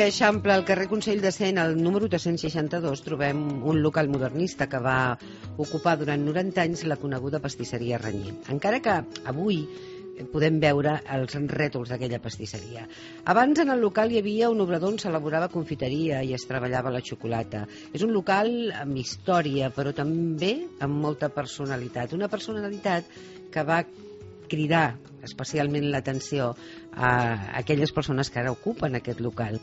Eixample, al carrer Consell de Cent, al número 362, trobem un local modernista que va ocupar durant 90 anys la coneguda pastisseria Renyer. Encara que avui podem veure els rètols d'aquella pastisseria. Abans en el local hi havia un obrador on s'elaborava confiteria i es treballava la xocolata. És un local amb història, però també amb molta personalitat. Una personalitat que va cridar especialment l'atenció a aquelles persones que ara ocupen aquest local.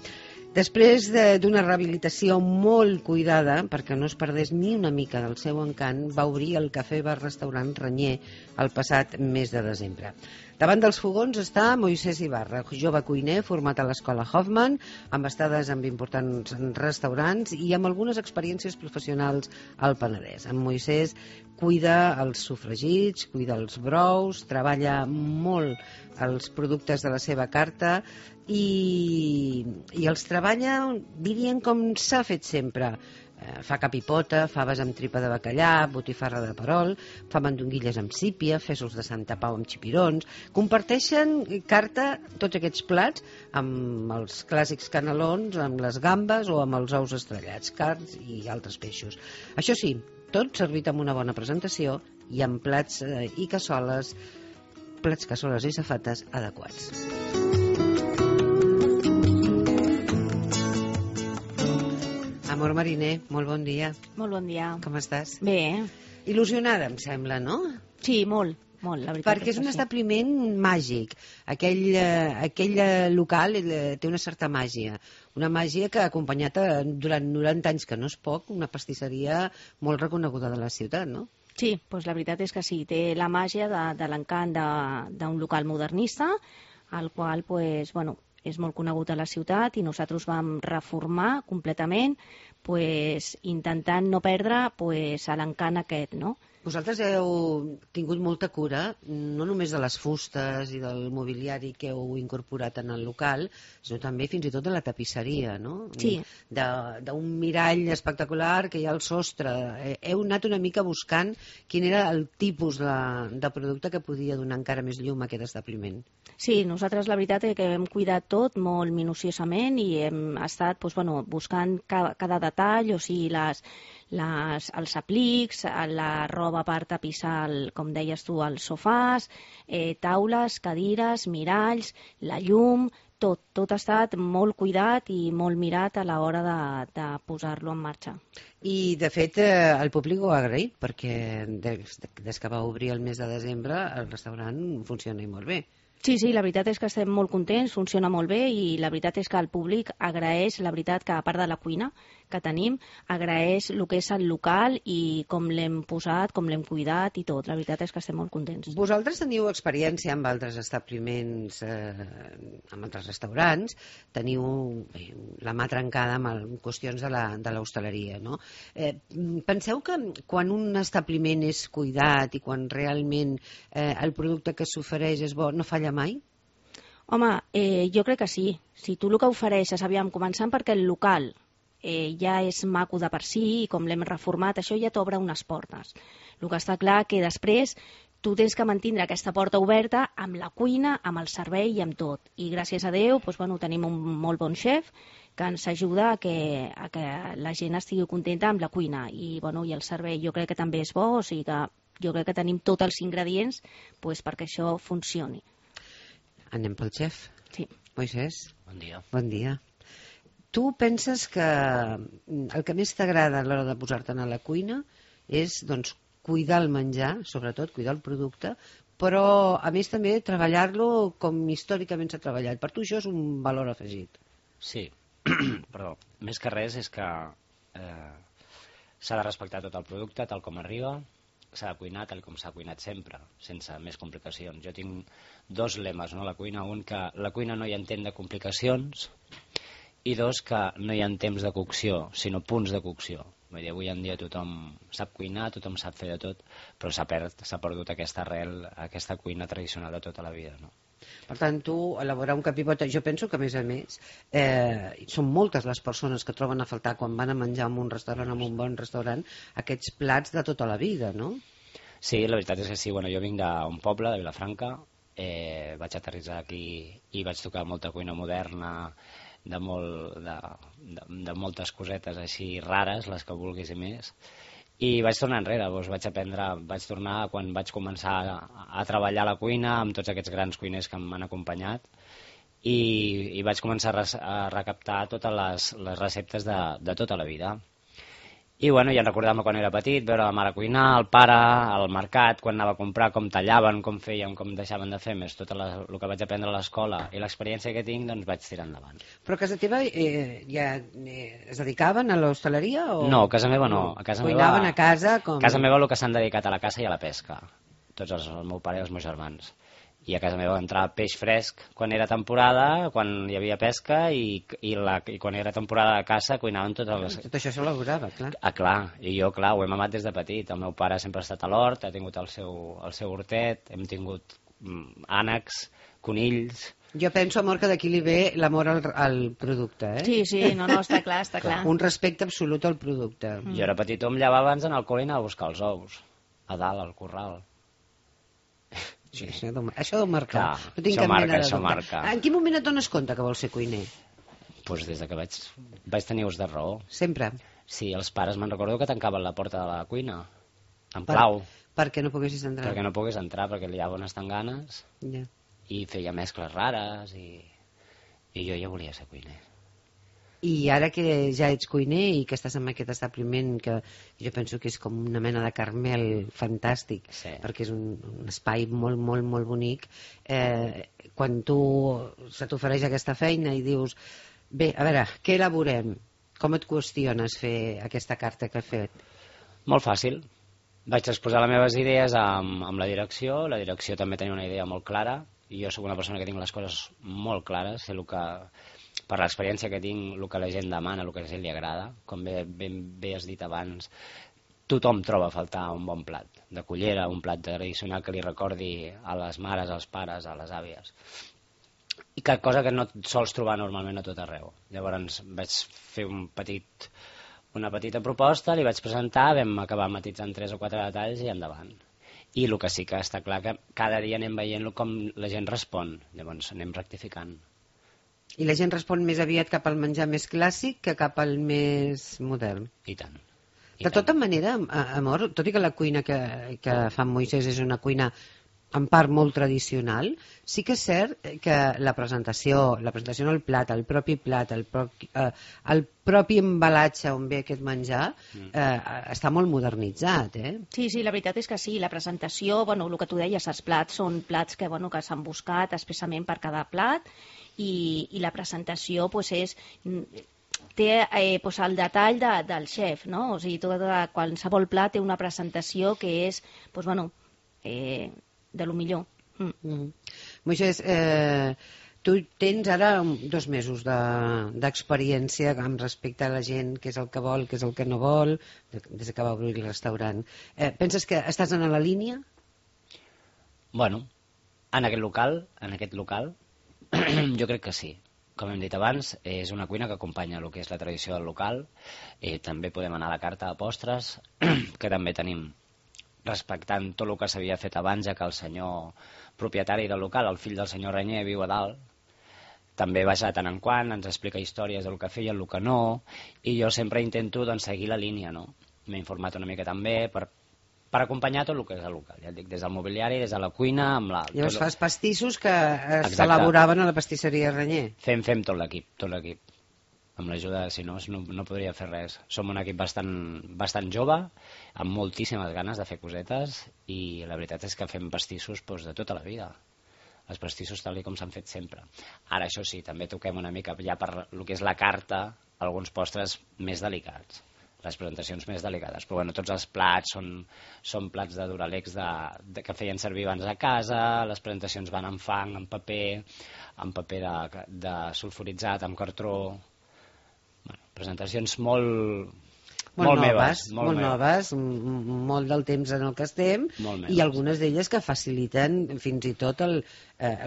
Després d'una rehabilitació molt cuidada, perquè no es perdés ni una mica del seu encant, va obrir el cafè-bar-restaurant Renyer el passat mes de desembre. Davant dels fogons està Moisès Ibarra, jove cuiner format a l'escola Hoffman, amb estades en importants restaurants i amb algunes experiències professionals al Penedès. En Moisès cuida els sofregits, cuida els brous, treballa molt els productes de la seva carta i els treballa, dirien, com s'ha fet sempre. Fa capipota, faves amb tripa de bacallà, botifarra de perol, fa mandonguilles amb sípia, fesols de Santa Pau amb xipirons. Comparteixen carta, tots aquests plats, amb els clàssics canelons, amb les gambes o amb els ous estrellats, carns i altres peixos. Això sí, tot servit amb una bona presentació i amb plats i cassoles, i safates adequats. Amor Mariner, molt bon dia. Molt bon dia. Com estàs? Bé. Il·lusionada, em sembla, no? Sí, molt, la veritat. Perquè és un establiment màgic. Aquell local té una certa màgia. Una màgia que ha acompanyat durant 90 anys, que no és poc, una pastisseria molt reconeguda de la ciutat, no? Sí, doncs la veritat és que sí. Té la màgia de l'encant d'un local modernista, el qual, doncs, bueno, és molt conegut a la ciutat i nosaltres vam reformar completament, intentant no perdre l'encant aquest, no? Vosaltres heu tingut molta cura, no només de les fustes i del mobiliari que heu incorporat en el local, sinó també fins i tot de la tapisseria, no? Sí. D'un mirall espectacular que hi ha al sostre. Heu anat una mica buscant quin era el tipus de producte que podia donar encara més llum a aquest establiment. Sí, nosaltres la veritat és que hem cuidat tot molt minuciosament i hem estat buscant cada detall, o sigui, els aplics, la roba per tapissar, com deies tu, els sofàs, taules, cadires, miralls, la llum, tot ha estat molt cuidat i molt mirat a l'hora de posar-lo en marxa. I, de fet, el públic ho ha agraït, perquè des que va obrir el mes de desembre el restaurant funciona molt bé. Sí, la veritat és que estem molt contents, funciona molt bé i la veritat és que el públic agraeix, la veritat, que a part de la cuina que tenim, agraeix el que és el local i com l'hem posat, com l'hem cuidat i tot. La veritat és que estem molt contents. Vosaltres teniu experiència amb altres establiments, amb altres restaurants, teniu la mà trencada amb qüestions de l'hostaleria, no? Penseu que quan un establiment és cuidat i quan realment el producte que s'ofereix és bo, no falla mai? Home, jo crec que sí. Si tu el que ofereixes, començant perquè el local ja és maco de per si i com l'hem reformat, això ja t'obre unes portes. El que està clar que després tu tens que mantenir aquesta porta oberta amb la cuina, amb el servei i amb tot. I gràcies a Déu tenim un molt bon xef que ens ajuda a que la gent estigui contenta amb la cuina. I el servei jo crec que també és bo, o sigui que jo crec que tenim tots els ingredients perquè això funcioni. Anem pel xef? Sí. Moisès? Bon dia. Bon dia. Tu penses que el que més t'agrada a l'hora de posar-te'n a la cuina és, cuidar el menjar, sobretot, cuidar el producte, però, a més, també treballar-lo com històricament s'ha treballat. Per tu això és un valor afegit. Sí, però més que res és que s'ha de respectar tot el producte tal com arriba, s'ha de cuinar tal com s'ha cuinat sempre, sense més complicacions. Jo tinc dos lemes, no?, a la cuina. Un, que la cuina no hi ha temps de complicacions, i dos, que no hi ha temps de cocció, sinó punts de cocció. Vull dir, avui en dia tothom sap cuinar, tothom sap fer de tot, però s'ha perdut aquesta arrel, aquesta cuina tradicional de tota la vida, no? Per tant, tu, elaborar un capipota, jo penso que, a més, són moltes les persones que troben a faltar quan van a menjar en un restaurant, en un bon restaurant, aquests plats de tota la vida, no? Sí, la veritat és que sí. Jo vinc d'un poble, de Vilafranca, vaig aterrissar aquí i vaig tocar molta cuina moderna, de moltes cosetes així rares, les que vulguis i més. I vaig tornar enrere, vaig tornar quan vaig començar a treballar a la cuina amb tots aquests grans cuiners que m'han acompanyat i vaig començar a recaptar totes les receptes de tota la vida. I bueno, ja recordar-me quan era petit, veure la mare cuinar, el pare, al mercat, quan anava a comprar, com tallaven, com feien, com deixaven de fer, més tot el que vaig aprendre a l'escola i l'experiència que tinc, doncs vaig tirar endavant. Però a casa teva ja es dedicaven a l'hostaleria? No, a casa meva no. Cuinaven a casa? A casa meva el que s'han dedicat a la caça i a la pesca, tots el meu pare i els meus germans. I a casa meva entrava peix fresc quan era temporada, quan hi havia pesca i quan era temporada de caça cuinaven totes les... Tot això s'elaborava, clar. Clar, i jo, clar, ho he mamat des de petit. El meu pare sempre ha estat a l'hort, ha tingut el seu hortet, hem tingut ànecs, conills... Jo penso, amor, que d'aquí li ve l'amor al producte, eh? Sí, no, està clar, està clar. Un respecte absolut al producte. Jo era petit, em llevava abans en el col·le i anava a buscar els ous, a dalt, al corral. Sí. Això deu marcar. Clar, no tinc cap mena de dubte. Marca. En quin moment et dones compte que vols ser cuiner? Doncs des que vaig tenir ús de raó. Sempre? Sí, els pares me'n recordo que tancaven la porta de la cuina, amb clau. Perquè no poguessis entrar? Perquè no pogués entrar, perquè li llaven unes tanganes i feia mescles rares i jo ja volia ser cuiner. I ara que ja ets cuiner i que estàs en aquest establiment que jo penso que és com una mena de Carmel fantàstic, perquè és un espai molt, molt, molt bonic, quan se t'ofereix aquesta feina i dius, bé, a veure, què elaborem? Com et qüestiones fer aquesta carta que has fet? Molt fàcil. Vaig exposar les meves idees amb la direcció també tenia una idea molt clara, i jo soc una persona que tinc les coses molt clares, sé el que... per l'experiència que tinc, el que la gent demana, el que a la gent li agrada, com bé has dit abans, tothom troba a faltar un bon plat de cullera, un plat tradicional que li recordi a les mares, als pares, a les àvies. I cosa que no et sols trobar normalment a tot arreu. Llavors vaig fer una petita proposta, li vaig presentar, vam acabar matitzant 3 o 4 detalls i endavant. I el que sí que està clar que cada dia anem veient com la gent respon, llavors anem rectificant. I la gent respon més aviat cap al menjar més clàssic que cap al més modern. I tant. De tota manera, amor, tot i que la cuina que fa en Moisès és una cuina en part molt tradicional, sí que és cert que la presentació en el plat, el propi plat, el propi embalatge on ve aquest menjar, està molt modernitzat, eh? Sí, la veritat és que sí. La presentació, el que tu deies, els plats són plats que s'han buscat expressament per cada plat i la presentació té el detall del xef, no? O sigui, qualsevol plat té una presentació que és, de lo millor. Moisès, tu tens ara 2 mesos d'experiència amb respecte a la gent, què és el que vol, què és el que no vol, des que va obrir el restaurant. Penses que estàs en la línia? Bueno, en aquest local, jo crec que sí. Com hem dit abans, és una cuina que acompanya el que és la tradició del local. També podem anar a la carta de postres, que també tenim, respectant tot el que s'havia fet abans, ja que el senyor propietari del local, el fill del senyor Renyer, viu a dalt. També baix de tant en quant, ens explica històries del que feia, el que no, i jo sempre intento seguir la línia, no? M'he informat una mica també per acompanyar tot el que és el local, ja et dic, des del mobiliari, des de la cuina... Llavors fas pastissos que s'elaboraven a la pastisseria Renyer. Fem tot l'equip. Amb l'ajuda, si no, no podria fer res. Som un equip bastant jove, amb moltíssimes ganes de fer cosetes, i la veritat és que fem pastissos de tota la vida. Els pastissos tal com s'han fet sempre. Ara, això sí, també toquem una mica ja per el que és la carta, alguns postres més delicats, les presentacions més delicades. Però tots els plats són plats de Duralex que feien servir abans a casa, les presentacions van amb fang, amb paper de sulfuritzat, amb cartró... presentacions molt meves, molt del temps en el que estem, i algunes d'elles que faciliten fins i tot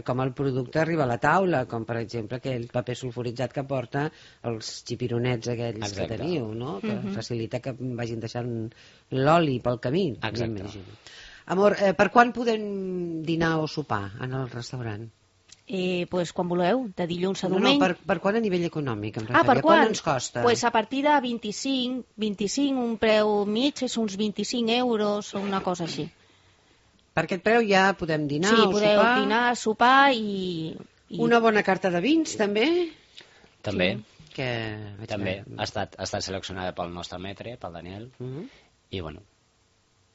com el producte arriba a la taula, com per exemple aquell paper sulfuritzat que porta els xipironets aquells que teniu, no? Que facilita que vagin deixant l'oli pel camí. Amor, per quan podem dinar o sopar en el restaurant? Pues quan voleu, de dilluns a No, diumenge. per quan a nivell econòmic, em Per referia? quan? Quan ens costa? Pues a partir de 25, un preu mig és uns 25 euros o una cosa així. Per aquest preu ja podem dinar Sí, o podeu sopar. dinar, sopar i... Una bona carta de vins, també? També, Que vaig també. veure. Ha estat seleccionada pel nostre metre, pel Daniel, i bueno,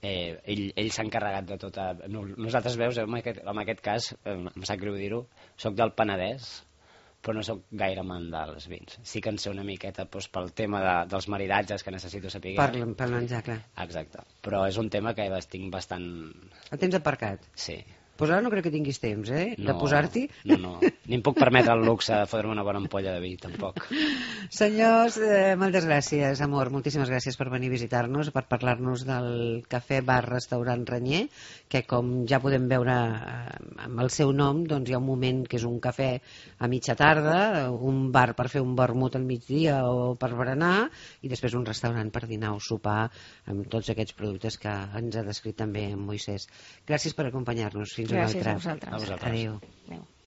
ell s'ha encarregat de tota... Nosaltres, veus, en aquest cas, em sap greu dir-ho, soc del Penedès, però no sóc gaire amant dels vins. Sí que en sé una miqueta doncs, pel tema dels maridatges que necessito saber. Per menjar, clar. Exacte. Però és un tema que tinc bastant... El temps aparcat. Sí. Pues ara no crec que tinguis temps, de posar-t'hi. No. Ni em puc permetre el luxe de fotre una bona ampolla de vi, tampoc. Senyors, moltes gràcies, amor. Moltíssimes gràcies per venir a visitar-nos, per parlar-nos del cafè bar restaurant Renyer, que com ja podem veure amb el seu nom, doncs hi ha un moment que és un cafè a mitja tarda, un bar per fer un vermut al migdia o per berenar, i després un restaurant per dinar o sopar amb tots aquests productes que ens ha descrit també en Moisès. Gràcies per acompanyar-nos. Fins una Gràcies altra. a vosaltres. A vosaltres. Adéu. Adéu.